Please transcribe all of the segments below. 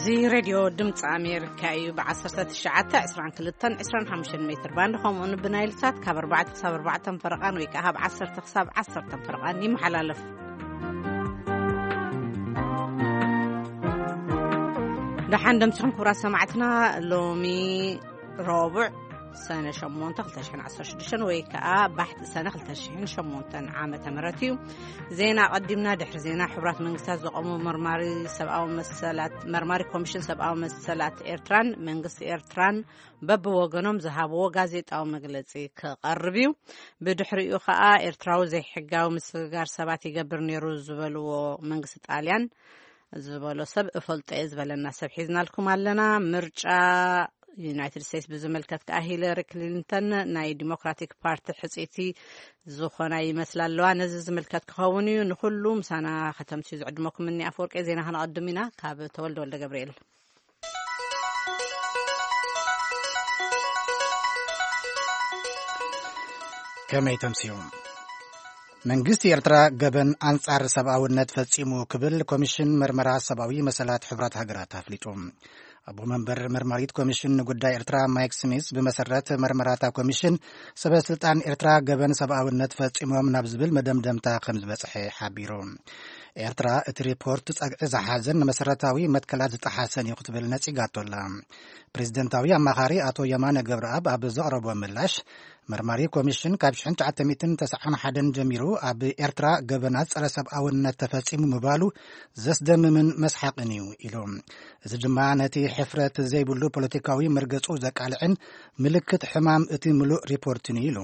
እዚ ሬድዮ ድምፂ ኣሜሪካ እዩ። ብ19፣ 22፣ 25 ሜትር ባንድ፣ ከምኡውን ብናይል ሳት ካብ ኣርባዕተ ክሳብ ኣርባዕተ ፈረቓን ወይ ከዓ ካብ ዓሰርተ ክሳብ ዓሰርተ ፈረቓን ይመሓላለፍ። ደሓን ደምስኹም ክቡራት ሰማዕትና። ሎሚ ረቡዕ ሰነ ሸሞንተ ክልተ ሽሕን ዓሰርተ ሽዱሽተን ወይ ከዓ ባሕቲ ሰነ ክልተ ሽሕን ሸሞንተን ዓመተ ምህረት እዩ። ዜና ኣቐዲምና። ድሕሪ ዜና፣ ሕቡራት መንግስታት ዘቐሙ መርማሪ ሰብኣዊ መሰላት፣ መርማሪ ኮሚሽን ሰብኣዊ መሰላት ኤርትራን መንግስቲ ኤርትራን በብወገኖም ዝሃብዎ ጋዜጣዊ መግለጺ ክቐርብ እዩ። ብድሕሪኡ ከዓ ኤርትራዊ ዘይሕጋዊ ምስግጋር ሰባት ይገብር ነይሩ ዝበልዎ መንግስቲ ጣልያን ዝበሎ ሰብ እፈልጦ እየ ዝበለና ሰብ ሒዝናልኩም ኣለና። ምርጫ ዩናይትድ ስቴትስ ብዝምልከት ከዓ ሂለሪ ክሊንተን ናይ ዲሞክራቲክ ፓርቲ ሕፅይቲ ዝኾና ይመስላ ኣለዋ። ነዚ ዝምልከት ክኸውን እዩ። ንኩሉ ምሳና ከተምስዩ ዝዕድመኩም እኒ ኣፈወርቂ ዜና ከነቐድም ኢና። ካብ ተወልደ ወልደ ገብርኤል። ከመይ ተምስዩ? መንግስቲ ኤርትራ ገበን ኣንጻር ሰብኣውነት ፈጺሙ ክብል ኮሚሽን መርመራ ሰብኣዊ መሰላት ሕቡራት ሃገራት ኣፍሊጡ። ኣቦ መንበር መርማሪት ኮሚሽን ንጉዳይ ኤርትራ ማይክ ስሚዝ፣ ብመሰረት መርመራታ ኮሚሽን፣ ሰበ ስልጣን ኤርትራ ገበን ሰብኣውነት ፈጺሞም ናብ ዝብል መደምደምታ ከም ዝበጽሐ ሓቢሩ። ኤርትራ እቲ ሪፖርት ጸግዒ ዝሓዘን ንመሰረታዊ መትከላት ዝጠሓሰን እዩ ክትብል ነጺጋቶ ኣላ። ፕሬዚደንታዊ ኣማኻሪ ኣቶ የማነ ገብረኣብ ኣብ ዘቕረቦ ምላሽ፣ መርማሪ ኮሚሽን ካብ ሽሕን ትሽዓተ ሚእትን ተስዓን ሓደን ጀሚሩ ኣብ ኤርትራ ገበናት ጸረ ሰብኣውነት ተፈጺሙ ምባሉ ዘስደምምን መስሓቕን እዩ ኢሉ። እዚ ድማ ነቲ ሕፍረት ዘይብሉ ፖለቲካዊ መርገጹ ዘቃልዕን ምልክት ሕማም እቲ ምሉእ ሪፖርትን እዩ ኢሉ።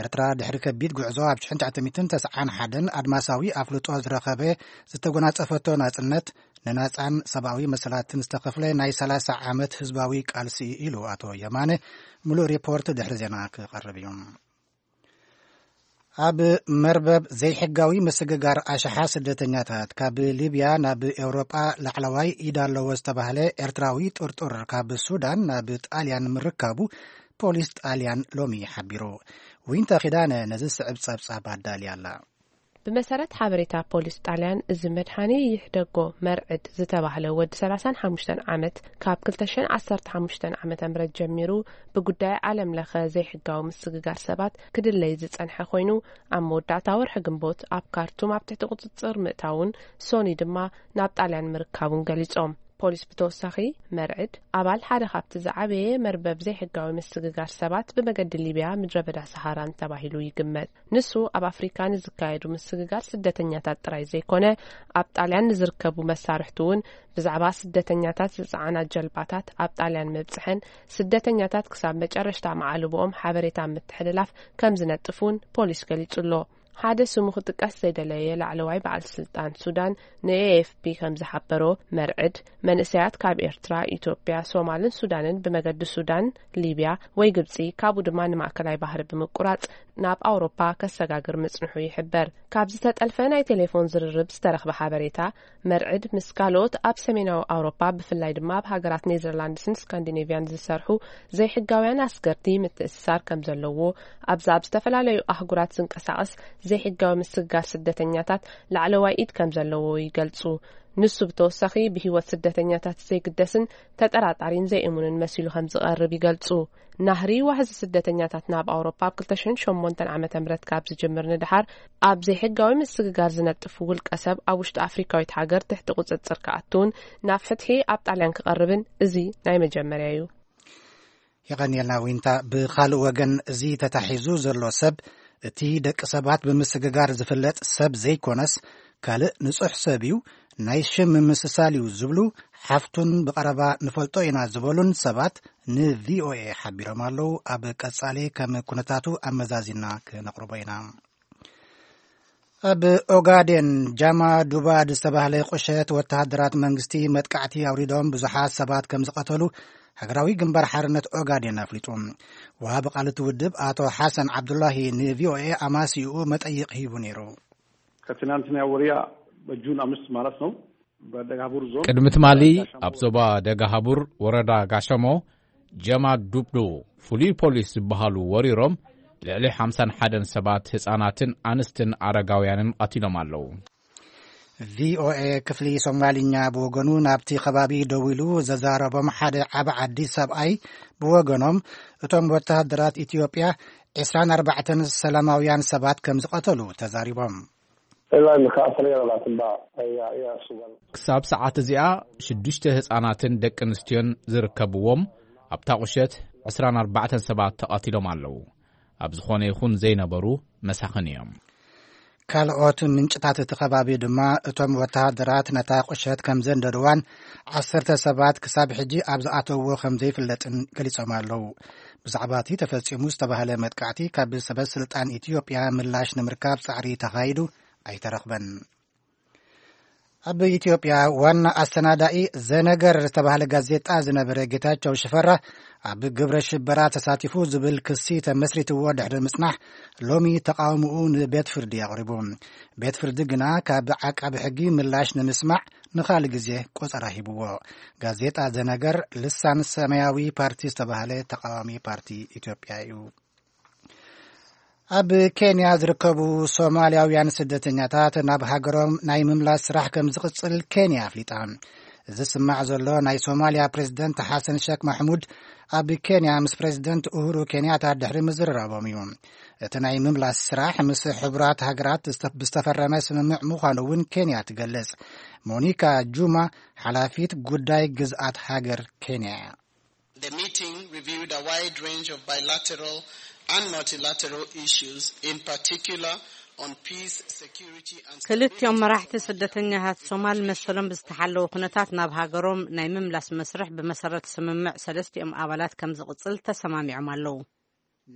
ኤርትራ ድሕሪ ከቢድ ጉዕዞ ኣብ ሽሕን ትሽዓተ ሚእትን ተስዓን ሓደን ኣድማሳዊ ኣፍልጦ ዝረኸበ ዝተጎናጸፈቶ ናጽነት፣ ንናጻን ሰብኣዊ መሰላትን ዝተኸፍለ ናይ ሰላሳ ዓመት ህዝባዊ ቃልሲ ኢሉ ኣቶ የማነ። ምሉእ ሪፖርት ድሕሪ ዜና ክቐርብ እዩ። ኣብ መርበብ ዘይሕጋዊ ምስግጋር ኣሽሓ ስደተኛታት ካብ ሊብያ ናብ ኤውሮጳ ላዕለዋይ ኢድ ኣለዎ ዝተባህለ ኤርትራዊ ጥርጡር ካብ ሱዳን ናብ ጣልያን ምርካቡ ፖሊስ ጣልያን ሎሚ ሓቢሩ። ዊንታ ኪዳነ ነዚ ስዕብ ጸብጻብ ኣዳልያ ኣላ። ብመሰረት ሓበሬታ ፖሊስ ጣልያን፣ እዚ መድሃኒ ይሕደጎ መርዕድ ዝተባህለ ወዲ ሰላሳን ሓሙሽተን ዓመት፣ ካብ ክልተ ሽሕን ዓሰርተ ሓሙሽተን ዓመተ ምህረት ጀሚሩ ብጉዳይ ዓለም ለኸ ዘይሕጋዊ ምስግጋር ሰባት ክድለይ ዝጸንሐ ኮይኑ፣ ኣብ መወዳእታ ወርሒ ግንቦት ኣብ ካርቱም ኣብ ትሕቲ ቁጽጽር ምእታውን ሶኒ ድማ ናብ ጣልያን ምርካቡን ገሊጾም። ፖሊስ ብተወሳኺ፣ መርዕድ ኣባል ሓደ ካብቲ ዝዓበየ መርበብ ዘይሕጋዊ ምስግጋር ሰባት ብመገዲ ሊብያ፣ ምድረ በዳ ሰሃራን ተባሂሉ ይግመት። ንሱ ኣብ ኣፍሪካ ንዝካየዱ ምስግጋር ስደተኛታት ጥራይ ዘይኮነ፣ ኣብ ጣልያን ንዝርከቡ መሳርሕቲ እውን ብዛዕባ ስደተኛታት ዝፀዓና ጀልባታት ኣብ ጣልያን ምብፅሐን ስደተኛታት ክሳብ መጨረሽታ መዓልቦኦም ሓበሬታ ምትሕልላፍ ከም ዝነጥፍ እውን ፖሊስ ገሊጹ ኣሎ። ሓደ ስሙ ክጥቀስ ዘይደለየ ላዕለዋይ በዓል ስልጣን ሱዳን ንኤኤፍፒ ከም ዝሓበሮ፣ መርዕድ መንእሰያት ካብ ኤርትራ፣ ኢትዮጵያ፣ ሶማልን ሱዳንን ብመገዲ ሱዳን፣ ሊብያ ወይ ግብጺ፣ ካብኡ ድማ ንማእከላይ ባህሪ ብምቁራጽ ናብ ኣውሮፓ ከሰጋግር ምጽንሑ ይሕበር። ካብ ዝተጠልፈ ናይ ቴሌፎን ዝርርብ ዝተረኽበ ሓበሬታ፣ መርዕድ ምስ ካልኦት ኣብ ሰሜናዊ ኣውሮፓ፣ ብፍላይ ድማ ኣብ ሃገራት ኔዘርላንድስን ስካንዲኔቭያን ዝሰርሑ ዘይሕጋውያን ኣስገርቲ ምትእስሳር ከም ዘለዎ፣ ኣብዛ ኣብ ዝተፈላለዩ ኣህጉራት ዝንቀሳቐስ ዘይሕጋዊ ምስግጋር ስደተኛታት ላዕለዋይ ኢድ ከም ዘለዎ ይገልጹ። ንሱ ብተወሳኺ ብህይወት ስደተኛታት ዘይግደስን ተጠራጣሪን ዘይእሙንን መሲሉ ከም ዝቐርብ ይገልጹ። ናህሪ ዋሕዚ ስደተኛታት ናብ ኣውሮፓ ኣብ ክልተ ሽሕን ሸሞንተን ዓመተ ምህረት ካብ ዝጅምር ንደሓር፣ ኣብ ዘይሕጋዊ ምስግጋር ዝነጥፍ ውልቀ ሰብ ኣብ ውሽጢ ኣፍሪካዊት ሃገር ትሕቲ ቁጽጽር ክኣቱን ናብ ፍትሒ ኣብ ጣልያን ክቐርብን እዚ ናይ መጀመርያ እዩ። የቐንየልና ዊንታ። ብኻልእ ወገን፣ እዚ ተታሒዙ ዘሎ ሰብ፣ እቲ ደቂ ሰባት ብምስግጋር ዝፍለጥ ሰብ ዘይኮነስ፣ ካልእ ንጹሕ ሰብ እዩ፣ ናይ ሽም ምምስሳል እዩ ዝብሉ ሓፍቱን ብቐረባ ንፈልጦ ኢና ዝበሉን ሰባት ንቪኦኤ ሓቢሮም ኣለዉ። ኣብ ቀጻሊ ከም ኩነታቱ ኣመዛዚና ክነቕርቦ ኢና። ኣብ ኦጋዴን፣ ጃማ ዱባድ ዝተባህለ ቁሸት ወተሃደራት መንግስቲ መጥቃዕቲ ኣውሪዶም ብዙሓት ሰባት ከም ዝቐተሉ ሃገራዊ ግንባር ሓርነት ኦጋዴን ኣፍሊጡ። ወሃቢ ቃል እቲ ውድብ ኣቶ ሓሰን ዓብዱላሂ ንቪኦኤ ኣማሲኡ መጠይቕ ሂቡ ነይሩ። ከትናንትና ወሪያ በጁን ኣምስት ማለት ነው። በደጋቡር ዞን ቅድሚ ትማሊ ኣብ ዞባ ደጋሃቡር ወረዳ ጋሸሞ ጀማ ዱብዶ ፍሉይ ፖሊስ ዝበሃሉ ወሪሮም ልዕሊ ሓምሳን ሓደን ሰባት ህፃናትን ኣንስትን ኣረጋውያንን ቀቲሎም ኣለዉ። ቪኦኤ ክፍሊ ሶማልኛ ብወገኑ ናብቲ ከባቢ ደዊሉ ዘዛረቦም ሓደ ዓቢ ዓዲ ሰብኣይ ብወገኖም፣ እቶም ወተሃደራት ኢትዮጵያ ዕስራን ኣርባዕተን ሰላማውያን ሰባት ከም ዝቐተሉ ተዛሪቦም። Ilaa imika afar iyo labaatan baa ayaa ayaa sugan. ክሳብ ሰዓት እዚኣ ሽዱሽተ ህጻናትን ደቂ ኣንስትዮን ዝርከብዎም ኣብታ ቁሸት ዕስራን ኣርባዕተን ሰባት ተቐቲሎም ኣለዉ። ኣብ ዝኾነ ይኹን ዘይነበሩ መሳኽን እዮም። ካልኦት ምንጭታት እቲ ከባቢ ድማ እቶም ወተሃደራት ነታ ቁሸት ከም ዘንደድዋን ዓሰርተ ሰባት ክሳብ ሕጂ ኣብ ዝኣተውዎ ከም ዘይፍለጥን ገሊጾም ኣለዉ። ብዛዕባ እቲ ተፈጺሙ ዝተባህለ መጥቃዕቲ ካብ ሰበ ስልጣን ኢትዮጵያ ምላሽ ንምርካብ ጻዕሪ ተኻይዱ ኣይተረኽበን። ኣብ ኢትዮጵያ ዋና ኣሰናዳኢ ዘነገር ዝተባህለ ጋዜጣ ዝነበረ ጌታቸው ሽፈራ ኣብ ግብረ ሽበራ ተሳቲፉ ዝብል ክሲ ተመስሪትዎ ድሕሪ ምጽናሕ ሎሚ ተቃውምኡ ንቤት ፍርዲ ኣቕሪቡ። ቤት ፍርዲ ግና ካብ ዓቃቢ ሕጊ ምላሽ ንምስማዕ ንኻልእ ግዜ ቆጸራ ሂብዎ። ጋዜጣ ዘነገር ልሳን ሰማያዊ ፓርቲ ዝተባህለ ተቃዋሚ ፓርቲ ኢትዮጵያ እዩ። ኣብ ኬንያ ዝርከቡ ሶማልያውያን ስደተኛታት ናብ ሃገሮም ናይ ምምላስ ስራሕ ከም ዝቕጽል ኬንያ ኣፍሊጣ። እዚ ዝስማዕ ዘሎ ናይ ሶማልያ ፕሬዝደንት ሓሰን ሸክ ማሕሙድ ኣብ ኬንያ ምስ ፕሬዝደንት ኡሁሩ ኬንያታ ድሕሪ ምዝርራቦም እዩ። እቲ ናይ ምምላስ ስራሕ ምስ ሕቡራት ሃገራት ዝተ- ብዝተፈረመ ስምምዕ ምዃኑ እውን ኬንያ ትገልጽ። ሞኒካ ጁማ ሓላፊት ጉዳይ ግዝኣት ሃገር ኬንያ እያ። The meeting reviewed a wide range of bilateral and multilateral issues, in particular on peace, security and ክልቲኦም መራሕቲ ስደተኛታት ሶማል መሰሎም ብዝተሓለወ ኩነታት ናብ ሃገሮም ናይ ምምላስ መስርሕ ብመሰረት ስምምዕ ሰለስቲኦም ኣባላት ከም ዝቕጽል ተሰማሚዖም ኣለዉ።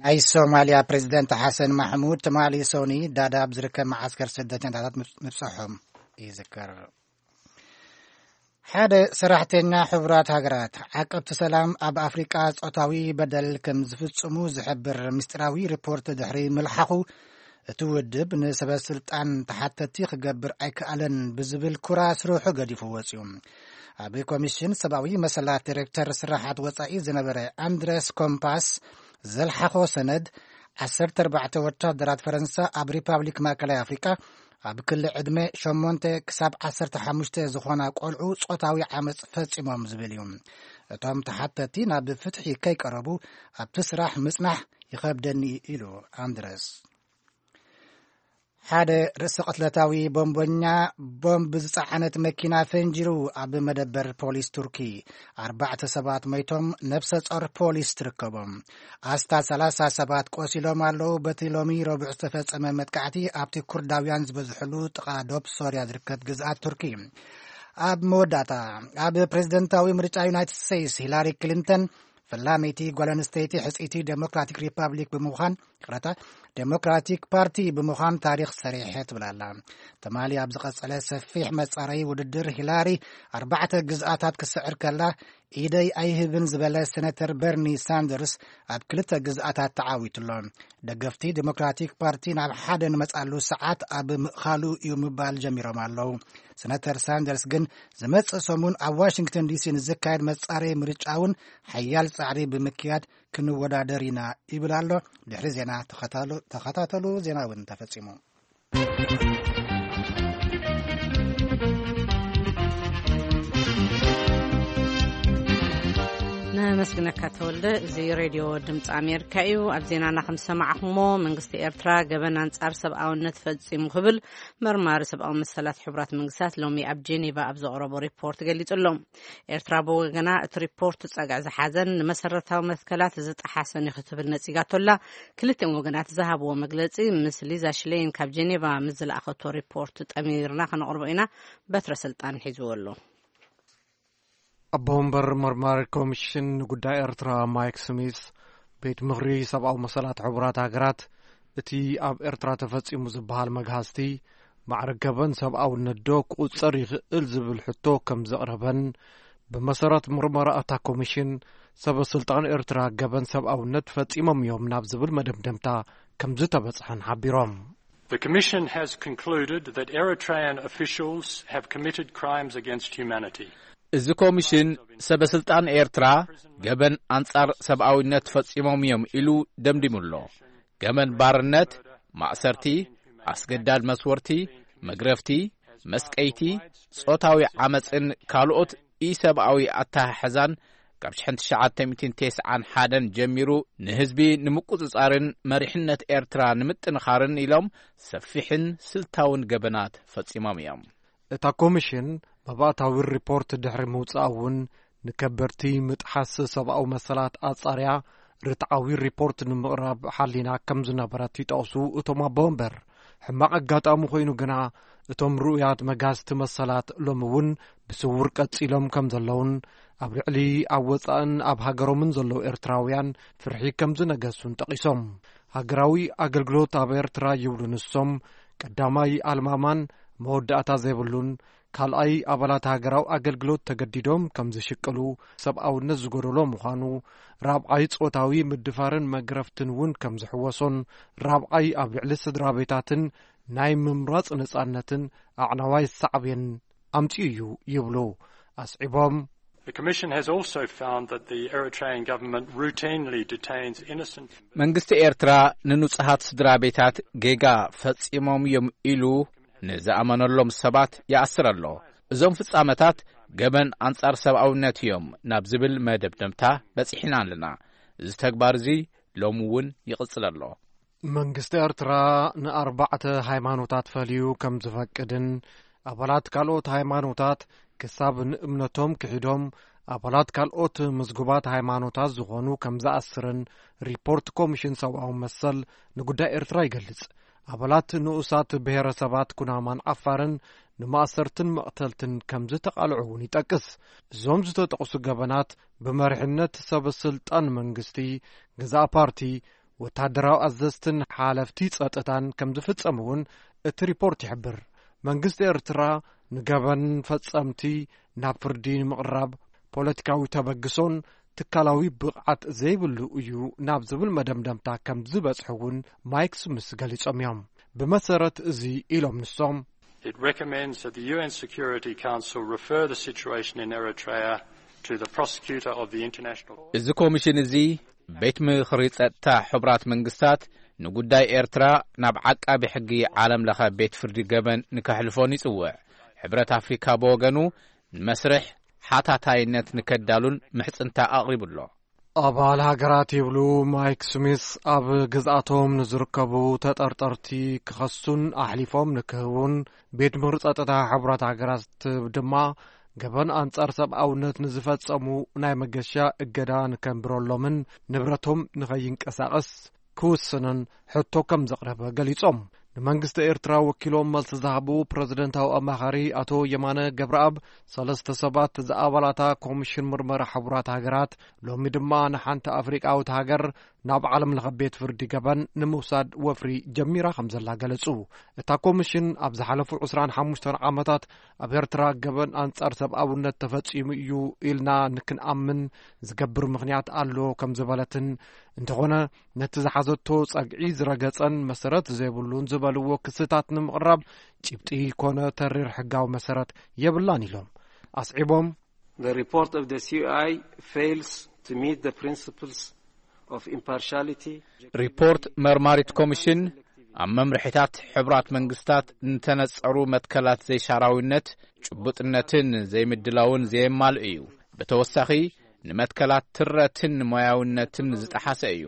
ናይ ሶማልያ ፕሬዝደንት ሓሰን ማሕሙድ ትማሊ ሶኒ ዳዳብ ዝርከብ መዓስከር ስደተኛታት ምብጽሖም ይዝከር። ሓደ ሰራሕተኛ ሕቡራት ሃገራት ዓቀብቲ ሰላም ኣብ ኣፍሪቃ ጾታዊ በደል ከም ዝፍጽሙ ዝሕብር ምስጢራዊ ሪፖርት ድሕሪ ምልሓኹ፣ እቲ ውድብ ንሰበ ስልጣን ተሓተቲ ክገብር ኣይከኣለን ብዝብል ኩራ ስርሑ ገዲፉ ወጺኡ። ኣብ ኮሚሽን ሰብኣዊ መሰላት ዲሬክተር ስራሓት ወጻኢ ዝነበረ ኣንድረስ ኮምፓስ ዘልሓኾ ሰነድ፣ ዓሰርተ ኣርባዕተ ወታደራት ፈረንሳ ኣብ ሪፓብሊክ ማእከላይ ኣፍሪቃ ኣብ ክሊ ዕድመ ሸሞንተ ክሳብ ዓሰርተ ሓሙሽተ ዝኾና ቆልዑ ጾታዊ ዓመጽ ፈጺሞም ዝብል እዩ። እቶም ተሓተቲ ናብ ፍትሒ ከይቀረቡ ኣብቲ ስራሕ ምጽናሕ ይኸብደኒ ኢሉ ኣንድረስ። ሓደ ርእሰ ቅትለታዊ ቦምበኛ ቦምብ ዝጸዓነት መኪና ፈንጂሩ ኣብ መደበር ፖሊስ ቱርኪ ኣርባዕተ ሰባት ሞይቶም፣ ነብሰ ጾር ፖሊስ ትርከቦም። ኣስታት ሰላሳ ሰባት ቆሲሎም ኣለዉ። በቲ ሎሚ ረቡዕ ዝተፈጸመ መጥቃዕቲ ኣብቲ ኩርዳውያን ዝበዝሕሉ ጥቓ ዶብ ሶርያ ዝርከብ ግዝኣት ቱርኪ። ኣብ መወዳእታ ኣብ ፕሬዝደንታዊ ምርጫ ዩናይትድ ስቴትስ ሂላሪ ክሊንተን ፈላመይቲ ጓል ኣንስተይቲ ሕጽይቲ ዴሞክራቲክ ሪፓብሊክ ብምዃን ይቕረታ ዴሞክራቲክ ፓርቲ ብምዃን ታሪኽ ሰሪሐ ትብል ኣላ። ትማሊ ኣብ ዝቐጸለ ሰፊሕ መጻረዪ ውድድር ሂላሪ ኣርባዕተ ግዝኣታት ክስዕር ከላ ኢደይ ኣይህብን ዝበለ ሴነተር በርኒ ሳንደርስ ኣብ ክልተ ግዝኣታት ተዓዊቱ ኣሎ። ደገፍቲ ዴሞክራቲክ ፓርቲ ናብ ሓደ ንመጻሉ ሰዓት ኣብ ምእኻሉ እዩ ምባል ጀሚሮም ኣለዉ። ሴነተር ሳንደርስ ግን ዝመጽእ ሰሙን ኣብ ዋሽንግተን ዲሲ ንዝካየድ መጻረዪ ምርጫ እውን ሓያል ጻዕሪ ብምክያድ ክንወዳደር ኢና ይብል ኣሎ። ድሕሪ ዜና ተኸታተሉ ዜና እውን ተፈጺሙ። ነመስግነካ ተወልደ። እዚ ሬድዮ ድምፂ ኣሜሪካ እዩ። ኣብ ዜናና ከም ዝሰማዕኹሞ መንግስቲ ኤርትራ ገበን ኣንጻር ሰብኣውነት ፈጺሙ ክብል መርማሪ ሰብኣዊ መሰላት ሕቡራት መንግስታት ሎሚ ኣብ ጄኔቫ ኣብ ዘቕረቦ ሪፖርት ገሊጹ ኣሎ። ኤርትራ ብወገና እቲ ሪፖርት ጸግዒ ዝሓዘን ንመሰረታዊ መትከላት ዝጠሓሰን እዩ ክትብል ነጺጋቶላ። ክልቲኦም ወገናት ዝሃብዎ መግለጺ ምስ ሊዛ ሽሌን ካብ ጄኔቫ ምስ ዝለኣኸቶ ሪፖርት ጠሚርና ከነቕርቦ ኢና። በትረ ስልጣን ሒዝዎ ኣሎ። ኣቦ ወንበር መርማሪ ኮሚሽን ንጉዳይ ኤርትራ ማይክ ስሚስ፣ ቤት ምኽሪ ሰብኣዊ መሰላት ሕቡራት ሃገራት እቲ ኣብ ኤርትራ ተፈጺሙ ዝበሃል መግሃስቲ ማዕረ ገበን ሰብኣውነት ዶ ክቑጸር ይኽእል ዝብል ሕቶ ከም ዘቕረበን፣ ብመሰረት ምርመራ እታ ኮሚሽን ሰበ ስልጣን ኤርትራ ገበን ሰብኣውነት ፈጺሞም እዮም ናብ ዝብል መደምደምታ ከም ዝተበጽሐን ሓቢሮም። The Commission has concluded that Eritrean officials have committed crimes against humanity. እዚ ኮሚሽን ሰበ ስልጣን ኤርትራ ገበን ኣንጻር ሰብኣውነት ፈጺሞም እዮም ኢሉ ደምዲሙ ኣሎ። ገበን ባርነት፣ ማእሰርቲ፣ ኣስገዳድ መስወርቲ፣ መግረፍቲ፣ መስቀይቲ፣ ጾታዊ ዓመጽን ካልኦት ኢሰብኣዊ ኣተሓሕዛን ካብ ሽሕን ትሽዓተ ሚእትን ተስዓን ሓደን ጀሚሩ ንህዝቢ ንምቁጽጻርን መሪሕነት ኤርትራ ንምጥንኻርን ኢሎም ሰፊሕን ስልታውን ገበናት ፈጺሞም እዮም። እታ ኮሚሽን መባእታዊ ሪፖርት ድሕሪ ምውጻእ እውን ንከበድቲ ምጥሓስ ሰብኣዊ መሰላት ኣጻርያ ርትዓዊ ሪፖርት ንምቕራብ ሓሊና ከም ዝነበረት ይጠቕሱ እቶም ኣቦ ወንበር። ሕማቕ ኣጋጣሚ ኮይኑ ግና እቶም ርኡያት መጋስቲ መሰላት ሎሚ እውን ብስውር ቀጺሎም ከም ዘለውን ኣብ ልዕሊ ኣብ ወጻእን ኣብ ሃገሮምን ዘለዉ ኤርትራውያን ፍርሒ ከም ዝነገሱን ጠቒሶም። ሃገራዊ ኣገልግሎት ኣብ ኤርትራ ይብሉ ንሶም ቀዳማይ ኣልማማን መወዳእታ ዘይብሉን ካልኣይ ኣባላት ሃገራዊ ኣገልግሎት ተገዲዶም ከም ዝሽቅሉ ሰብኣውነት ዝጎደሎ ምዃኑ፣ ራብዓይ ጾታዊ ምድፋርን መግረፍትን እውን ከም ዝሕወሶን፣ ራብዓይ ኣብ ልዕሊ ስድራ ቤታትን ናይ ምምራጽ ነጻነትን ኣዕናዋይ ሳዕቤን ኣምጺኡ እዩ ይብሉ ኣስዒቦም። The Commission has also found that the Eritrean government routinely detains innocent መንግስቲ ኤርትራ ንንጹሃት ስድራ ቤታት ጌጋ ፈጺሞም እዮም ኢሉ ንዝኣመነሎም ሰባት ይኣስር ኣሎ። እዞም ፍጻመታት ገበን ኣንጻር ሰብኣውነት እዮም ናብ ዝብል መደምደምታ በጺሕና ኣለና። እዚ ተግባር እዚ ሎሚ እውን ይቕጽል ኣሎ። መንግስቲ ኤርትራ ንኣርባዕተ ሃይማኖታት ፈልዩ ከም ዝፈቅድን ኣባላት ካልኦት ሃይማኖታት ክሳብ ንእምነቶም ክሒዶም ኣባላት ካልኦት ምዝጉባት ሃይማኖታት ዝኾኑ ከም ዝኣስርን ሪፖርት ኮሚሽን ሰብኣዊ መሰል ንጉዳይ ኤርትራ ይገልጽ። ኣባላት ንኡሳት ብሄረሰባት ኩናማን ዓፋርን ንማእሰርትን መቕተልትን ከም ዝተቓልዑ እውን ይጠቅስ። እዞም ዝተጠቕሱ ገበናት ብመሪሕነት ሰብ ስልጣን መንግስቲ፣ ገዛእ ፓርቲ፣ ወታደራዊ ኣዘዝትን ሓለፍቲ ጸጥታን ከም ዝፍጸሙ እውን እቲ ሪፖርት ይሕብር። መንግስቲ ኤርትራ ንገበን ፈጸምቲ ናብ ፍርዲ ንምቕራብ ፖለቲካዊ ተበግሶን ትካላዊ ብቕዓት ዘይብሉ እዩ ናብ ዝብል መደምደምታ ከም ዝበጽሑ እውን ማይክ ስሚስ ገሊጾም እዮም። ብመሰረት እዚ ኢሎም ንሶም፣ It recommends that the U N Security Council refer the situation in Eritrea to the prosecutor of the international እዚ ኮሚሽን እዚ ቤት ምኽሪ ጸጥታ ሕቡራት መንግስታት ንጉዳይ ኤርትራ ናብ ዓቃቢ ሕጊ ዓለም ለኸ ቤት ፍርዲ ገበን ንከሕልፎን ይጽውዕ። ሕብረት ኣፍሪካ ብወገኑ ንመስርሕ ሓታታይነት ንከዳሉን ምሕጽንታ ኣቕሪቡ ኣሎ። ኣባል ሃገራት ይብሉ ማይክ ስሚስ ኣብ ግዝኣቶም ንዝርከቡ ተጠርጠርቲ ክኸሱን ኣሕሊፎም ንክህቡን ቤት ምኽሪ ጸጥታ ሕቡራት ሃገራት ድማ ገበን ኣንጻር ሰብኣውነት ንዝፈጸሙ ናይ መገሻ እገዳ ንከንብረሎምን ንብረቶም ንኸይንቀሳቐስ ክውስንን ሕቶ ከም ዘቕረበ ገሊጾም። ንመንግስቲ ኤርትራ ወኪሎም መልሲ ዝሃቡ ፕረዚደንታዊ ኣማኻሪ ኣቶ የማነ ገብረኣብ፣ ሰለስተ ሰባት ዝኣባላታ ኮሚሽን ምርመራ ሕቡራት ሃገራት ሎሚ ድማ ንሓንቲ ኣፍሪቃዊት ሃገር ናብ ዓለም ለኸ ቤት ፍርዲ ገበን ንምውሳድ ወፍሪ ጀሚራ ከም ዘላ ገለጹ። እታ ኮሚሽን ኣብ ዝሓለፉ ዕስራን ሓሙሽተን ዓመታት ኣብ ኤርትራ ገበን ኣንጻር ሰብኣውነት ተፈጺሙ እዩ ኢልና ንክንኣምን ዝገብር ምኽንያት ኣሎ ከም ዝበለትን፣ እንተኾነ ነቲ ዝሓዘቶ ጸግዒ ዝረገጸን መሰረት ዘይብሉን ዝበልዎ ክስታት ንምቕራብ ጭብጢ ኮነ ተሪር ሕጋዊ መሰረት የብላን ኢሎም ኣስዒቦም። The report of the C I fails to meet the principles of impartiality. ሪፖርት መርማሪት ኮሚሽን ኣብ መምርሒታት ሕቡራት መንግስታት ንተነጸሩ መትከላት ዘይሻራዊነት፣ ጭቡጥነትን ዘይምድላውን ዘየማልእ እዩ። ብተወሳኺ ንመትከላት ትረትን ሞያውነትን ዝጠሓሰ እዩ።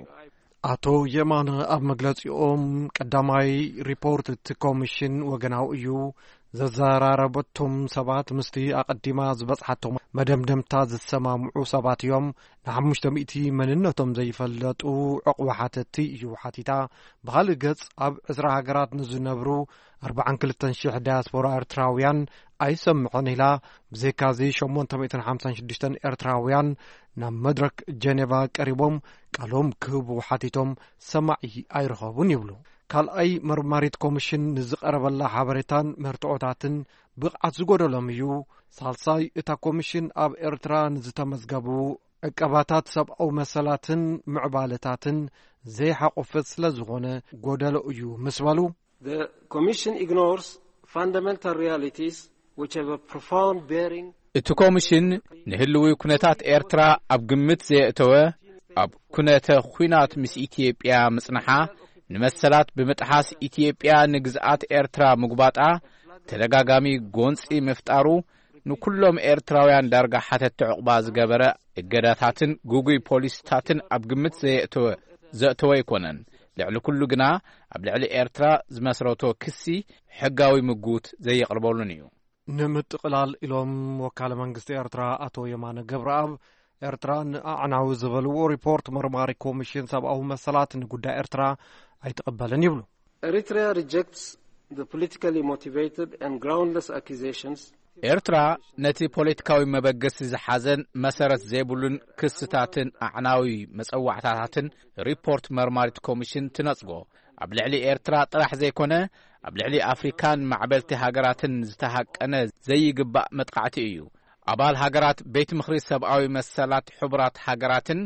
ኣቶ የማነ ኣብ መግለጺኦም፣ ቀዳማይ ሪፖርት እቲ ኮሚሽን ወገናዊ እዩ። ዘዘራረበቶም ሰባት ምስቲ ኣቐዲማ ዝበጽሓቶም መደምደምታ ዝሰማምዑ ሰባት እዮም። ንሓሙሽተ ሚእቲ መንነቶም ዘይፈለጡ ዕቑባ ሓተትቲ እዩ ሓቲታ። ብኻልእ ገጽ ኣብ ዕስራ ሃገራት ንዝነብሩ ኣርባዓን ክልተን ሽሕ ዳያስፖራ ኤርትራውያን ኣይሰምዕን ኢላ። ብዘይካዚ ሸሞንተ ሚእትን ሓምሳን ሽዱሽተን ኤርትራውያን ናብ መድረክ ጀኔቫ ቀሪቦም ቃሎም ክህቡ ሓቲቶም ሰማዒ ኣይረኸቡን ይብሉ። ካልኣይ መርማሪት ኮሚሽን ንዝቐረበላ ሓበሬታን መርትዖታትን ብቕዓት ዝጎደሎም እዩ። ሳልሳይ እታ ኮሚሽን ኣብ ኤርትራ ንዝተመዝገቡ ዕቀባታት ሰብኣዊ መሰላትን ምዕባለታትን ዘይሓቆፈት ስለ ዝኾነ ጎደሎ እዩ ምስ በሉ፣ The Commission ignores fundamental realities which have a profound bearing እቲ ኮሚሽን ንህልዊ ኩነታት ኤርትራ ኣብ ግምት ዘየእተወ፣ ኣብ ኩነተ ኹናት ምስ ኢትዮጵያ ምጽንሓ፣ ንመሰላት ብምጥሓስ ኢትዮጵያ ንግዝኣት ኤርትራ ምጉባጣ፣ ተደጋጋሚ ጎንጺ ምፍጣሩ፣ ንኩሎም ኤርትራውያን ዳርጋ ሓተቲ ዕቑባ ዝገበረ እገዳታትን ግጉይ ፖሊሲታትን ኣብ ግምት ዘየእተወ፣ ዘእተወ ኣይኮነን። ልዕሊ ኩሉ ግና፣ ኣብ ልዕሊ ኤርትራ ዝመስረቶ ክሲ ሕጋዊ ምጉት ዘየቕርበሉን እዩ። ንምጥቕላል ኢሎም ወካለ መንግስቲ ኤርትራ ኣቶ የማነ ገብረኣብ፣ ኤርትራ ንኣዕናዊ ዝበልዎ ሪፖርት መርማሪ ኮሚሽን ሰብኣዊ መሰላት ንጉዳይ ኤርትራ ኣይትቕበልን ይብሉ። Eritrea rejects the politically motivated and groundless accusations. ኤርትራ ነቲ ፖለቲካዊ መበገሲ ዝሓዘን መሰረት ዘይብሉን ክስታትን ኣዕናዊ መጸዋዕታታትን ሪፖርት መርማሪት ኮሚሽን ትነጽጎ። ኣብ ልዕሊ ኤርትራ ጥራሕ ዘይኮነ፣ ኣብ ልዕሊ ኣፍሪካን ማዕበልቲ ሃገራትን ዝተሃቀነ ዘይግባእ መጥቃዕቲ እዩ። ኣባል ሃገራት ቤት ምኽሪ ሰብኣዊ መሰላት ሕቡራት ሃገራትን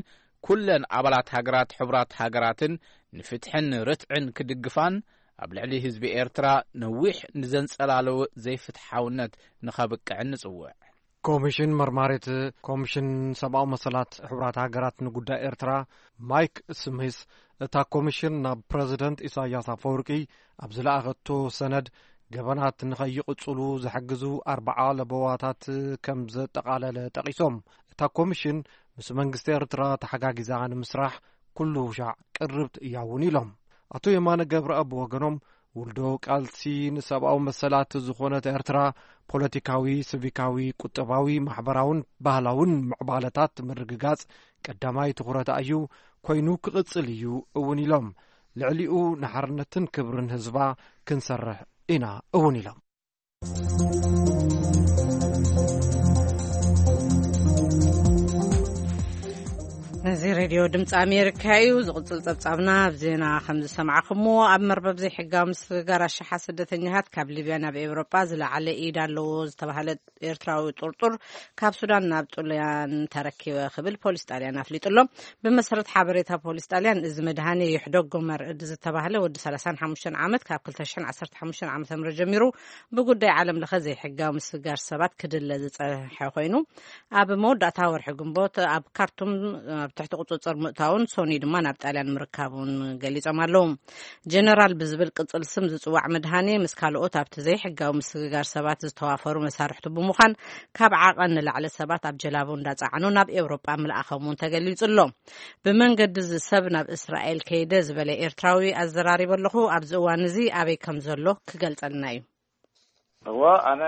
ኩለን ኣባላት ሃገራት ሕቡራት ሃገራትን ንፍትሕን ርትዕን ክድግፋን፣ ኣብ ልዕሊ ህዝቢ ኤርትራ ነዊሕ ንዘንጸላለወ ዘይፍትሓውነት ንኸብቅዕን ንጽውዕ። ኮሚሽን መርማሪት ኮሚሽን ሰብኣዊ መሰላት ሕቡራት ሃገራት ንጉዳይ ኤርትራ ማይክ ስሚስ፣ እታ ኮሚሽን ናብ ፕረዚደንት ኢሳያስ ኣፈወርቂ ኣብ ዝለኣኸቶ ሰነድ፣ ገበናት ንኸይቕጽሉ ዝሕግዙ ኣርብዓ ለበዋታት ከም ዘጠቓለለ ጠቒሶም፣ እታ ኮሚሽን ምስ መንግስቲ ኤርትራ ተሓጋጊዛ ንምስራሕ ኩሉ ሻዕ ቅርብቲ እያ እውን ኢሎም። ኣቶ የማነ ገብረኣብ ብወገኖም፣ ውልዶ ቃልሲ ንሰብኣዊ መሰላት ዝኾነት ኤርትራ፣ ፖለቲካዊ፣ ሲቪካዊ፣ ቁጠባዊ፣ ማሕበራውን ባህላውን ምዕባለታት ምርግጋጽ ቀዳማይ ትኹረታ እዩ፣ ኮይኑ ክቕጽል እዩ እውን ኢሎም። ልዕሊኡ ንሓርነትን ክብርን ህዝባ ክንሰርሕ ኢና እውን ኢሎም። እዚ ሬድዮ ድምፂ ኣሜሪካ እዩ። ዝቕፅል ፀብፃብና ኣብ ዜና ከም ዝሰማዕኹምዎ፣ ኣብ መርበብ ዘይሕጋዊ ምስግጋር ኣሽሓት ስደተኛታት ካብ ሊብያ ናብ ኤውሮጳ ዝለዓለ ኢድ ኣለዎ ዝተባህለ ኤርትራዊ ጥርጡር ካብ ሱዳን ናብ ጥልያን ተረኪበ ክብል ፖሊስ ጣልያን ኣፍሊጡ ኣሎ። ብመሰረት ሓበሬታ ፖሊስ ጣልያን፣ እዚ መድሃኔ ይሕደጎ መርዕድ ዝተባህለ ወዲ ሰላሳን ሓሙሽተን ዓመት ካብ ክልተ ሽሕን ዓሰርተ ሓሙሽተን ዓመተ ምህረት ጀሚሩ ብጉዳይ ዓለም ለኸ ዘይሕጋዊ ምስግጋር ሰባት ክድለ ዝጸንሐ ኮይኑ፣ ኣብ መወዳእታ ወርሒ ግንቦት ኣብ ካርቱም ኣብ ትሕቲ ቁጽጽር ምእታውን ሶኒ ድማ ናብ ጣልያን ምርካቡን ገሊጾም ኣለዉ። ጀነራል ብዝብል ቅጽል ስም ዝጽዋዕ መድሃኔ ምስ ካልኦት ኣብቲ ዘይሕጋዊ ምስግጋር ሰባት ዝተዋፈሩ መሳርሕቱ ብምዃን፣ ካብ ዓቐን ንላዕሊ ሰባት ኣብ ጀላቡ እንዳጸዓኑ ናብ ኤውሮጳ ምልኣኾም እውን ተገሊጹ ኣሎ። ብመንገዲ እዚ ሰብ ናብ እስራኤል ከይደ ዝበለ ኤርትራዊ ኣዘራሪበ ኣለኹ። ኣብዚ እዋን እዚ ኣበይ ከም ዘሎ ክገልጸልና እዩ። እወ፣ ኣነ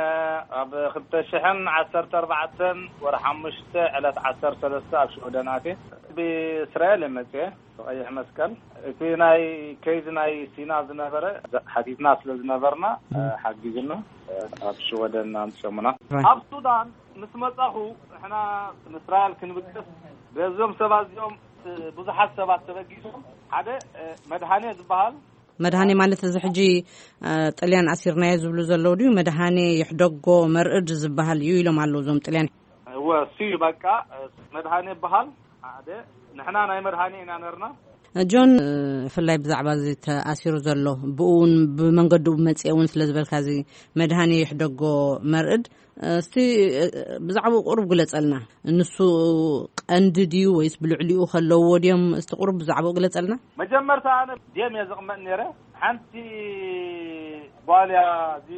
ኣብ ክልተ ሽሕን ዓሰርተ ኣርባዕተን ወርሒ ሓሙሽተ ዕለት ዓሰርተ ሰለስተ ኣብ ሽወደን ኣትየ። ብእስራኤል እየ መጽየ፣ ብቐይሕ መስቀል። እቲ ናይ ኬዝ ናይ ሲና ዝነበረ ሓቲትና ስለ ዝነበርና፣ እ። ሓጊዙና፣ እ፣ ኣብ ሽወደን ኣምጽዮምና። ራይት። ኣብ ሱዳን ምስ መጻኹ፣ ንሕና ንእስራኤል ክንብገስ፣ በዞም ሰባት እዚኦም፣ እ፣ ብዙሓት ሰባት ተበጊሶም፣ ሓደ፣ እ፣ መድሃኔ ዝበሃል። መድሃኔ ማለት እዚ ሕጂ፣ እ፣ ጥልያን ኣሲርናዮ ዝብሉ ዘለዉ ድዩ? መድሃኔ ይሕደጎ መርዕድ ዝበሃል እዩ ኢሎም ኣለዉ እዞም ጥልያን። እወ፣ እሱ እዩ በቃ፣ እ፣ መድሃኔ ይበሃል። ሓደ፣ ንሕና ናይ መድሃኔ ኢና ነርና። ጆን፣ እ፣ ብፍላይ ብዛዕባ እዚ ተኣሲሩ ዘሎ፣ ብኡ እውን ብመንገዱ መጽኤ እውን ስለ ዝበልካ፣ እዚ መድሃኔ ይሕደጎ መርዕድ፣ እስቲ፣ እ፣ ብዛዕባኡ ቁሩብ ግለጸልና። ንሱ ቀንዲ ድዩ ወይስ ብልዕሊኡ ከለውዎ ድዮም? እስቲ ቁሩብ ብዛዕባኡ ግለጸልና። መጀመርታ ኣነ ድም እየ ዝቕመጥ ነይረ። ሓንቲ ጓል እያ፣ እዚ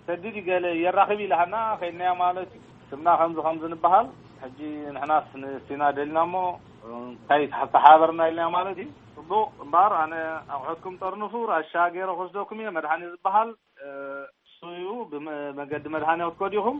ሰድዲ ገለ የራኽብ ኢላሃና፣ ከይድናያ ማለት እዩ። ስምና ከምዚ ከምዚ ንበሃል። ሕጂ ንሕናስ ንሲና ደሊና እሞ፣ እንታይ ተሓባበርና ኢልና ማለት እዩ። ጽቡቕ እምበኣር፣ ኣነ ኣቑሑትኩም ጠርንፉ፣ ራሻ ገይረ ክወስደኩም እየ፣ መድሓኒ ዝበሃል፣ እ፣ እሱ እዩ። ብመ-፣ መገዲ መድሓኒ ክትከዱ ኢኹም።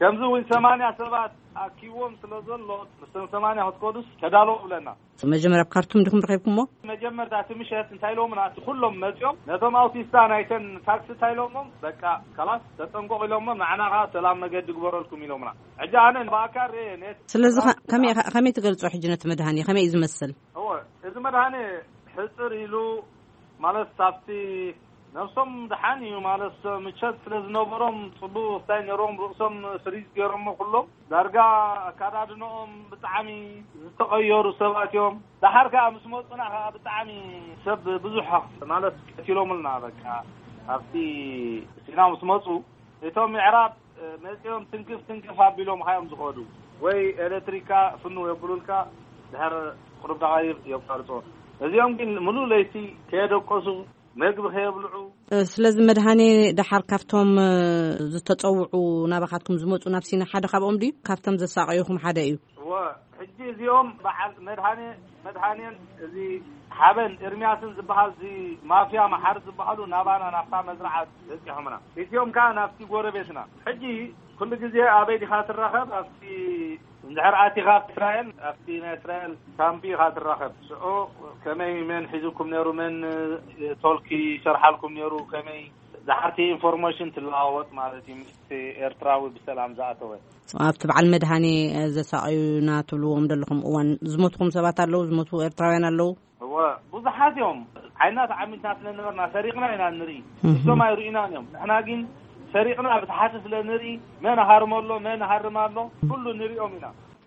ከምዚ እውን ሰማንያ ሰባት ኣኪዎም ስለ ዘሎ፣ ምስቶም ሰማንያ ክትከዱስ ተዳለዉ ብለና። መጀመርያ ኣብ ካርቱም ዲኹም ረኺብኩሞ? መጀመርታ እቲ ምሸት እንታይ ኢሎምና? እቲ ኩሎም መጺኦም ነቶም ኣውቲስታ ናይተን ታክሲ እንታይ ኢሎሞም? በቃ ካላስ ተጠንቀቑ ኢሎሞም፣ ንዓና ኸዓ ሰላም መገዲ ግበረልኩም ኢሎምና። ሕጂ ኣነ ብኣካል ርኤ ነት-፣ ስለዚ ኸ-፣ ከመይ፣ ከመይ ትገልጾ ሕጂ ነቲ መድሃኒ? ከመይ እዩ ዝመስል? እወ፣ እዚ መድሃኒ ሕጽር ኢሉ ማለት ኣብቲ ነብሶም ደሓን እዩ ማለት ምቸት ስለ ዝነበሮም ጽቡቕ ስታይ ነይሮም፣ ርእሶም ፍሪዝ ገይሮሞ ኩሎም። ዳርጋ ኣካዳድንኦም ብጣዕሚ ዝተቐየሩ ሰባት እዮም። ደሓር ከኣ ምስ መጹና ከኣ ብጣዕሚ ሰብ ብዙሕ ማለት ቀቲሎምልና። በቃ ኣብቲ ሲና ምስ መጹ እቶም ምዕራብ መጺኦም ትንክፍ ትንክፍ ኣቢሎም ኻዮም ዝኸዱ ወይ ኤሌክትሪካ ፍንው የብሉልካ፣ ድሕር ቁሩብ ደቓይቕ የቋርጾ። እዚኦም ግን ምሉእ ለይቲ ከየደቀሱ፣ መግቢ ከየብልዑ፣ እ፣ ስለዚ መድሃኔ ደሓር ካብቶም፣ እ፣ ዝተጸውዑ ናባኻትኩም ዝመጹ ናብ ሲና ሓደ ካብኦም ድዩ? ካብቶም ዘሳቐዩኹም ሓደ እዩ? እወ፣ ሕጂ እዚኦም በዓል መድሃኔ፣ መድሃኔን እዚ ሓበን ኤርምያስን ዝበሃል እዚ ማፍያ መሓር ዝበሃሉ ናባና ናብታ መዝርዓት በጺሖምና። እቲኦም ከኣ ናብቲ ጎረቤትና። ሕጂ ኩሉ ግዜ ኣበይ ዲኻ ትራኸብ? ኣብቲ እንድሕር ኣቲኻ ኣብቲ እስራኤል፣ ኣብቲ ናይ እስራኤል ካምፕ ኢኻ ትራኸብ። ሽዑ ከመይ፣ መን ሒዙኩም ነይሩ፣ መን ቶልኪ ይሰርሓልኩም ነይሩ፣ ከመይ ዝሓርቲ ኢንፎርሜሽን ትለዋወጥ ማለት እዩ፣ ምስቲ ኤርትራዊ ብሰላም ዝኣተወ። ኣብቲ በዓል መድሃኔ ዘሳቐዩና ትብልዎም ዘለኹም እዋን ዝሞትኹም ሰባት ኣለዉ? ዝሞቱ ኤርትራውያን ኣለዉ? እወ፣ ብዙሓት እዮም። ዓይና ተዓሚትና ስለ ነበርና ሰሪቕና ኢና ንርኢ። እሶም ኣይርእዩናን እዮም። ንሕና ግን ሰሪቕና ብታሕቲ ስለ ንርኢ፣ መን ሃርሞ ኣሎ፣ መን ሃርም ኣሎ፣ ኩሉ ንሪኦም ኢና።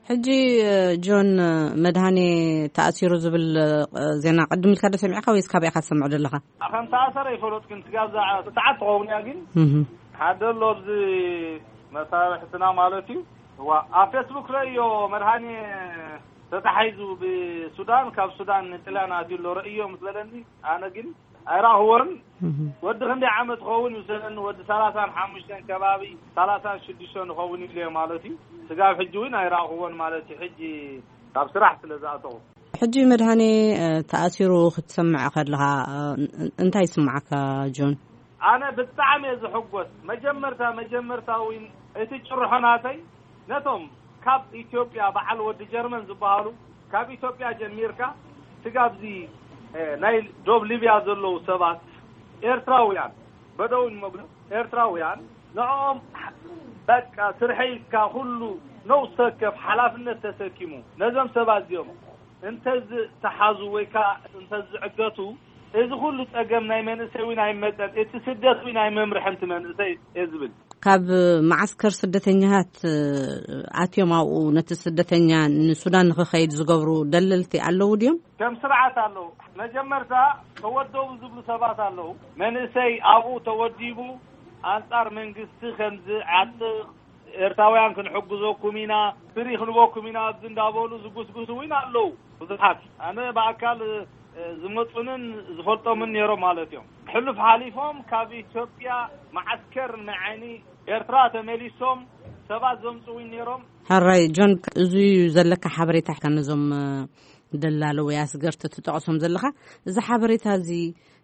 ሕጂ፣ እ፣ ጆን፣ እ፣ መድሃኔ ተኣሲሩ ዝብል፣ እ፣ ዜና ቅድም ኢልካ ዶ ሰሚዕካ ወይስ ካበይ ኢኻ ትሰምዖ ዘለኻ? ከም ተኣሰረ ይፈለጥ ግን ስጋብ ዛ-፣ ሰዓት ትኸውን እያ ግን እህ። ሓደ ኣሎ ኣብዚ መሳርሕትና ማለት እዩ። እዋ፣ ኣብ ፌስቡክ ረእዮ መድሃኔ ተታሒዙ ብሱዳን፣ ካብ ሱዳን ንጥልያን ኣትዩ ኣሎ ረእዮ ምስ በለኒ፣ ኣነ ግን ኣይረኣኽዎን። እህ። ወዲ ክንደይ ዓመት ክኸውን ይውሰደኒ፣ ወዲ ሰላሳን ሓሙሽተን ከባቢ፣ ሰላሳን ሽዱሽተን ይኸውን ኢለ ማለት እዩ። ስጋብ ሕጂ እውን ኣይረኣኽዎን ማለት እዩ። ሕጂ ካብ ስራሕ ስለ ዝኣተኹ። ሕጂ መድሃኔ፣ እ፣ ተኣሲሩ ክትሰምዕ ከለኻ፣ እ፣ ን-፣ እንታይ ይስምዓካ ጆን? ኣነ ብጣዕሚ እየ ዝሕጎስ። መጀመርታ፣ መጀመርታ እውን እቲ ጭርሖ ናተይ ነቶም ካብ ኢትዮጵያ በዓል ወዲ ጀርመን ዝበሃሉ ካብ ኢትዮጵያ ጀሚርካ ስጋብዚ፣ እ፣ ናይ ዶብ ሊብያ ዘለዉ ሰባት ኤርትራውያን በደውን መግዶ ኤርትራውያን ንዕኦም በቃ ስርሐይ ኢልካ ኩሉ ነውስ ወከፍ ሓላፍነት ተሰኪሙ ነዞም ሰባት እዚኦም እንተዝተሓዙ ወይ ከዓ እንተዝዕገቱ እዚ ኩሉ ጸገም ናይ መንእሰይ እውን ኣይመጸን፣ እቲ ስደት እውን ኣይመምርሐን እቲ መንእሰይ እየ ዝብል። ካብ መዓስከር ስደተኛታት፣ እ፣ ኣትዮም ኣብኡ ነቲ ስደተኛ ንሱዳን ንኽኸይድ ዝገብሩ ደለልቲ ኣለዉ ድዮም? ከም ስርዓት ኣለዉ። መጀመርታ ተወደቡ ዝብሉ ሰባት ኣለዉ። መንእሰይ ኣብኡ ተወዲቡ ኣንጻር መንግስቲ ከምዚ ዓጥቕ ኤርትራውያን ክንሕግዘኩም ኢና፣ ፍሪ ክንበኩም ኢና ኣብዚ እንዳበሉ ዝጉስጉሱ እውን ኣለዉ ብዙሓት። ኣነ ብኣካል፣ እ፣ ዝመጹንን ዝፈልጦምን ነይሮም ማለት እዮም። ሕሉፍ ሓሊፎም ካብ ኢትዮጵያ መዓስከር ንዓይኒ ኤርትራ ተመሊሶም ሰባት ዘምጽኡ እውን ነይሮም። ሕራይ ጆን፣ እዚ እዩ ዘለካ ሓበሬታ ነዞም፣ እ፣ ደላሎ ወይ ኣስገርቲ ትጠቕሶም ዘለኻ፣ እዚ ሓበሬታ እዚ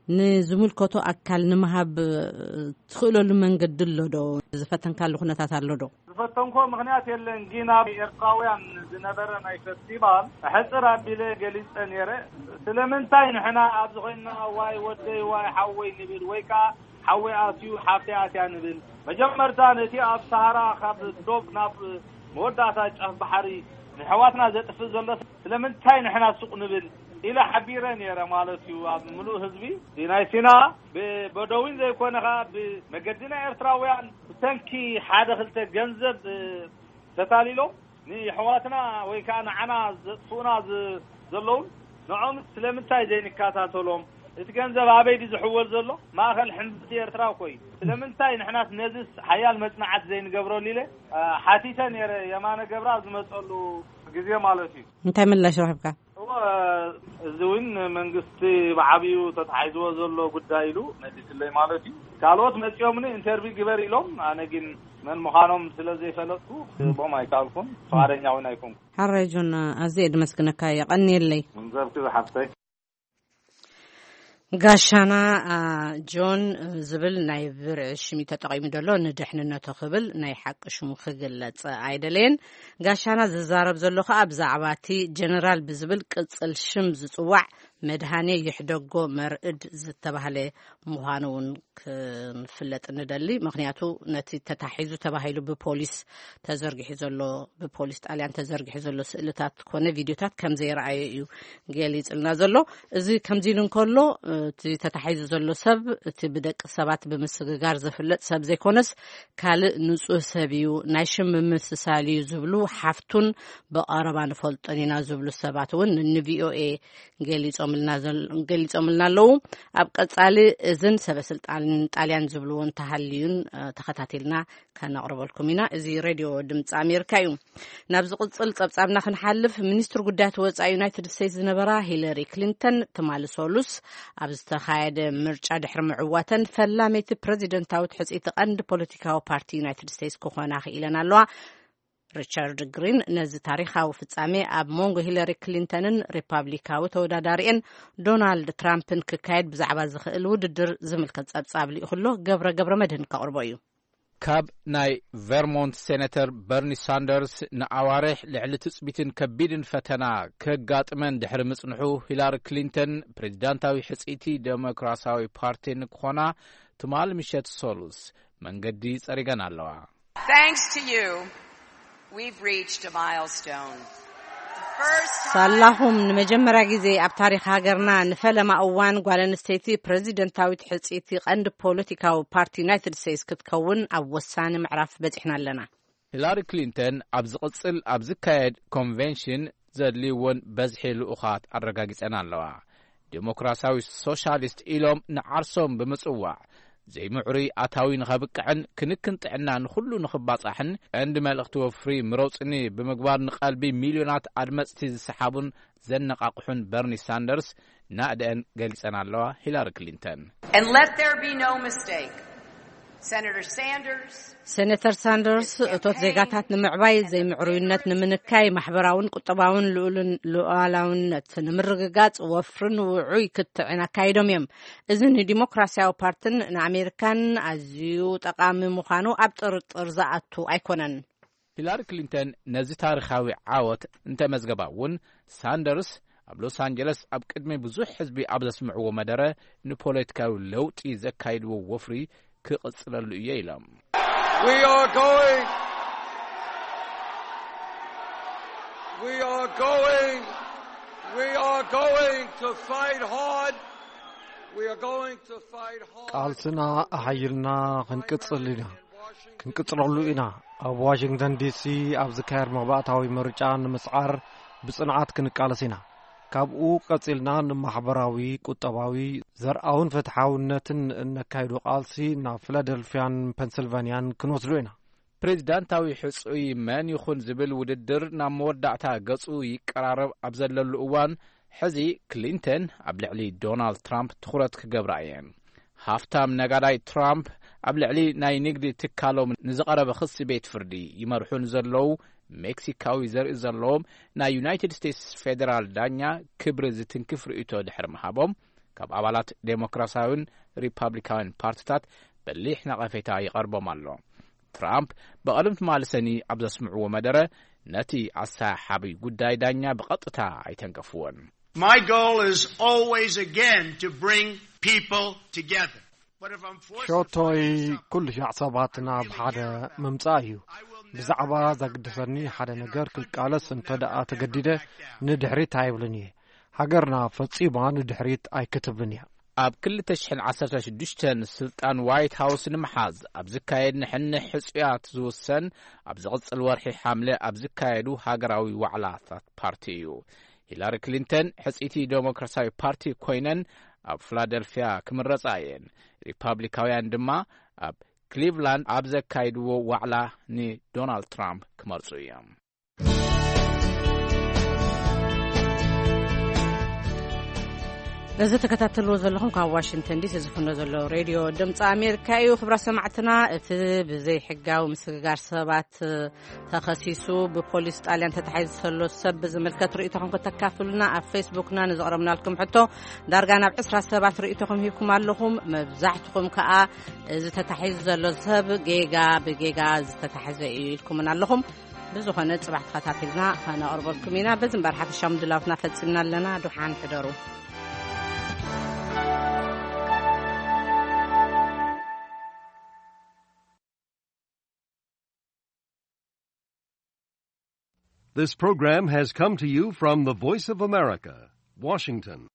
ንዝምልከቶ ኣካል ንምሃብ፣ እ፣ ትኽእለሉ መንገዲ ኣሎ ዶ? ዝፈተንካሉ ኩነታት ኣሎ ዶ? ዝፈተንኮ ምኽንያት የለን፣ ግን ኣብ ኤርትራውያን ዝነበረ ናይ ፈስቲቫል ሕጽር ኣቢለ ገሊጸ ነይረ። ስለምንታይ ንሕና ኣብዚ ኮይንና ዋይ ወደይ ዋይ ሓወይ ንብል ወይ ከኣ ሓወይ ኣትዩ ሓፍተይ ኣትያ ንብል? መጀመርታ ነቲ ኣብ ሰሃራ ካብ ዶብ ናብ መወዳእታ ጫፍ ባሕሪ ንሕዋትና ዘጥፍእ ዘሎ ስለምንታይ ንሕና ሱቕ ንብል ኢለ ሓቢረ ነይረ ማለት እዩ። ኣብ ምሉእ ህዝቢ ናይ ሲና ብበደዊን ዘይኮነ ኸኣ ብመገዲ ናይ ኤርትራውያን ብሰንኪ ሓደ ክልተ ገንዘብ፣ እ፣ ተታሊሎም ንየሕዋትና ወይ ከኣ ንዓና ዘጥፍኡና ዝ-፣ ዘለውን ንዖም ስለምንታይ ዘይንከታተሎም? እቲ ገንዘብ ኣበይ ድዩ ዝሕወል ዘሎ? ማእኸል ሕምብርቲ ኤርትራ እኮ እዩ። ስለምንታይ ንሕናስ ነዚስ ሓያል መጽናዕቲ ዘይንገብረሉ ኢለ፣ እ፣ ሓቲተ ነይረ የማነ ገብራ ዝመጸሉ ግዜ ማለት እዩ። እንታይ ምላሽ ረኺብካ? እወ፣ እዚ እውን መንግስቲ ብዓብዩ ተታሒዝዎ ዘሎ ጉዳይ ኢሉ መሊስለይ ማለት እዩ። ካልኦት መጺኦምኒ ኢንተርቪው ግበር ኢሎም፣ ኣነ ግን መን ምዃኖም ስለ ዘይፈለጥኩ ክህቦም ኣይከኣልኩን። ፍቓደኛ እውን ኣይኮንኩ። ሓራይ ጆን፣ ኣዝየ ድመስግነካ፣ የቐንየለይ። ገንዘብኪ ዝሓፍተይ። ጋሻና፣ አ፣ ጆን ዝብል ናይ ብርዒ ሽም እዩ ተጠቒሙ ዘሎ። ንድሕንነቱ ክብል ናይ ሓቂ ሽሙ ክግለጽ ኣይደለየን። ጋሻና ዝዛረብ ዘሎ ከኣ ብዛዕባ እቲ ጀነራል ብዝብል ቅጽል ሽም ዝጽዋዕ መድሃኔ ይሕደጎ መርዕድ ዝተባህለ ምዃኑ እውን ክንፍለጥ ንደሊ። ምኽንያቱ ነቲ ተታሒዙ ተባሂሉ ብፖሊስ ተዘርጊሑ ዘሎ፣ ብፖሊስ ጣልያን ተዘርጊሑ ዘሎ ስእልታት ኮነ ቪድዮታት ከም ዘይረኣየ እዩ ገሊጽልና ዘሎ። እዚ ከምዚ ኢሉ እንከሎ፣ እቲ ተታሒዙ ዘሎ ሰብ፣ እቲ ብደቂ ሰባት ብምስግጋር ዝፍለጥ ሰብ ዘይኮነስ፣ ካልእ ንጹህ ሰብ እዩ፣ ናይ ሽም ምምስሳል እዩ ዝብሉ ሓፍቱን ብቐረባ ንፈልጦን ኢና ዝብሉ ሰባት እውን ንቪኦኤ ገሊጾም። ገሊጾምልና ኣለዉ። ኣብ ቀጻሊ እዝን ሰበ ስልጣን ጣልያን ዝብልዎ እንተሃልዩን ተኸታቲልና ከነቕርበልኩም ኢና። እዚ ሬድዮ ድምፂ ኣሜሪካ እዩ። ናብ ዝቕጽል ጸብጻብና ክንሓልፍ፣ ሚኒስትር ጉዳያት ወጻኢ ዩናይትድ ስቴትስ ዝነበራ ሂለሪ ክሊንተን ትማሊ ሰሉስ ኣብ ዝተኻየደ ምርጫ ድሕሪ ምዕዋተን ፈላመይቲ ፕረዚደንታዊት ሕጽይቲ ቀንዲ ፖለቲካዊ ፓርቲ ዩናይትድ ስቴትስ ክኾና ክኢለን ኣለዋ። ሪቻርድ ግሪን ነዚ ታሪኻዊ ፍጻሜ ኣብ መንጎ ሂለሪ ክሊንተንን ሪፓብሊካዊ ተወዳዳሪኤን ዶናልድ ትራምፕን ክካየድ ብዛዕባ ዝኽእል ውድድር ዝምልከት ጸብጻብ ልኢኹ ኣሎ። ገብረ ገብረ መድህን ከቕርቦ እዩ። ካብ ናይ ቨርሞንት ሴነተር በርኒ ሳንደርስ ንኣዋርሕ ልዕሊ ትጽቢትን ከቢድን ፈተና ከጋጥመን ድሕሪ ምጽንሑ፣ ሂላሪ ክሊንተን ፕሬዚዳንታዊ ሕጽይቲ ዴሞክራሲያዊ ፓርቲ ንክኾና ትማሊ ምሸት ሰሉስ መንገዲ ጸሪገን ኣለዋ። Thanks to you, we've reached a milestone. The first time ሳላኹም ንመጀመርያ ግዜ ኣብ ታሪኽ ሃገርና ንፈለማ እዋን ጓል ኣንስተይቲ ፕረዚደንታዊት ሕጽይቲ ቀንዲ ፖለቲካዊ ፓርቲ ዩናይትድ ስቴትስ ክትከውን ኣብ ወሳኒ ምዕራፍ በጺሕና ኣለና። ሂላሪ ክሊንተን ኣብ ዝቕጽል ኣብ ዝካየድ ኮንቬንሽን ዘድልይዎን በዝሒ ልኡኻት ኣረጋጊጸን ኣለዋ። ዴሞክራሲያዊ ሶሻሊስት ኢሎም ንዓርሶም ብምጽዋዕ፣ ዘይምዕሩይ ኣታዊ ንኸብቅዕን ክንክን ጥዕና ንኹሉ ንኽባጻሕን ቀንዲ መልእኽቲ ወፍሪ ምረጹኒ ብምግባር ንቐልቢ ሚልዮናት ኣድመጽቲ ዝሰሓቡን ዘነቓቕሑን በርኒ ሳንደርስ ናእደአን ገሊጸን ኣለዋ። ሂላሪ ክሊንተን And let there be no mistake. Senator Sanders, ሴነተር ሳንደርስ፣ እቶት ዜጋታት ንምዕባይ፣ ዘይምዕሩይነት ንምንካይ፣ ማሕበራውን ቁጠባውን ልኡልን ሉዓላውነት ንምርግጋጽ ወፍርን ውዑይ ክትዕን ኣካይዶም እዮም። እዚ ንዲሞክራሲያዊ ፓርትን ንኣሜሪካን ኣዝዩ ጠቓሚ ምዃኑ ኣብ ጥርጥር ዝኣቱ ኣይኮነን። ሂላሪ ክሊንተን ነዚ ታሪኻዊ ዓወት እንተመዝገባ እውን፣ ሳንደርስ ኣብ ሎስ ኣንጀለስ ኣብ ቅድሚ ብዙሕ ህዝቢ ኣብ ዘስምዕዎ መደረ፣ ንፖለቲካዊ ለውጢ ዘካይድዎ ወፍሪ ክቕጽለሉ እየ ኢሎም። We are going, we are going, we are going to fight hard. We are going to fight hard. ቃልስና ኣሓይልና ክንቅጽል ኢና። ክንቅጽለሉ ኢና። ኣብ ዋሽንግተን ዲሲ ኣብ ዝካየድ መባእታዊ ምርጫ ንምስዓር ብጽንዓት ክንቃለስ ኢና። ካብኡ ቀጺልና ንማሕበራዊ፣ ቁጠባዊ፣ ዘርኣውን ፍትሓውነትን እነካይዶ ቃልሲ ናብ ፊላደልፍያን ፐንስልቫንያን ክንወስዶ ኢና። ፕሬዚዳንታዊ ሕጹይ መን ይኹን ዝብል ውድድር ናብ መወዳእታ ገጹ ይቀራረብ ኣብ ዘለሉ እዋን፣ ሕዚ ክሊንተን ኣብ ልዕሊ ዶናልድ ትራምፕ ትኹረት ክገብራ እየን። ሃፍታም ነጋዳይ ትራምፕ ኣብ ልዕሊ ናይ ንግዲ ትካሎም ንዝቐረበ ክሲ ቤት ፍርዲ ይመርሑ ንዘለዉ ሜክሲካዊ ዘርኢ ዘለዎም ናይ ዩናይትድ ስቴትስ ፌዴራል ዳኛ ክብሪ ዝትንክፍ ርእይቶ ድሕሪ ምሃቦም፣ ካብ ኣባላት ዴሞክራሲያዊን ሪፓብሊካዊን ፓርቲታት በሊሕ ነቐፌታ ይቐርቦም ኣሎ። ትራምፕ ብቐደም ትማሊ ሰኒ ኣብ ዘስምዕዎ መደረ፣ ነቲ ኣሰሓሓቢ ጉዳይ ዳኛ ብቐጥታ ኣይተንከፍዎን። My goal is always again to bring people together. But if I'm forced to ሾቶይ fight something, ኩሉ ሻዕ ሰባት ናብ ሓደ ምምጻእ እዩ። ብዛዕባ ዘግድሰኒ ሓደ ነገር ክቃለስ እንተ ደኣ ተገዲደ፣ ንድሕሪት ኣይብልን እየ። ሃገርና ፈጺማ ንድሕሪት ኣይክትብልን እያ። ኣብ ክልተ ሽሕን ዓሰርተ ሽዱሽተን ስልጣን ዋይት ሃውስ ንምሓዝ ኣብ ዝካየድ ንሕንሕ ሕጹያት ዝውሰን፣ ኣብ ዝቕጽል ወርሒ ሓምለ ኣብ ዝካየዱ ሃገራዊ ዋዕላታት ፓርቲ እዩ። ሂላሪ ክሊንተን ሕጽይቲ ዴሞክራሲያዊ ፓርቲ ኮይነን ኣብ ፊላደልፍያ ክምረጻ እየን። ሪፓብሊካውያን ድማ ኣብ ክሊቭላንድ ኣብ ዘካይድዎ ዋዕላ ንዶናልድ ትራምፕ ክመርጹ እዮም። እዚ ተከታተልዎ ዘለኹም ካብ ዋሽንግተን ዲሲ ዝፍኖ ዘሎ ሬድዮ ድምፂ ኣሜሪካ እዩ። ክብራ ሰማዕትና፣ እቲ ብዘይ ሕጋዊ ምስግጋር ሰባት ተኸሲሱ ብፖሊስ ጣልያን ተታሒዙ ዘሎ ሰብ ብዝምልከት ርእይቶኹም ከተካፍሉና ኣብ ፌስቡክና ንዘቕረብናልኩም ሕቶ ዳርጋ ናብ ዕስራ ሰባት ርእይቶኹም ሂብኩም ኣለኹም። መብዛሕትኹም ከኣ እዚ ተታሒዙ ዘሎ ሰብ ጌጋ ብጌጋ ዝተታሕዘ እዩ ኢልኩምን ኣለኹም። ብዝኾነ ጽባሕ ተኸታቲልና ከነቕርበልኩም ኢና። በዚ እምበር ሓፈሻዊ ምድላውትና ፈጺምና ኣለና። ድሓን ሕደሩ። This program has come to you from the Voice of America, Washington.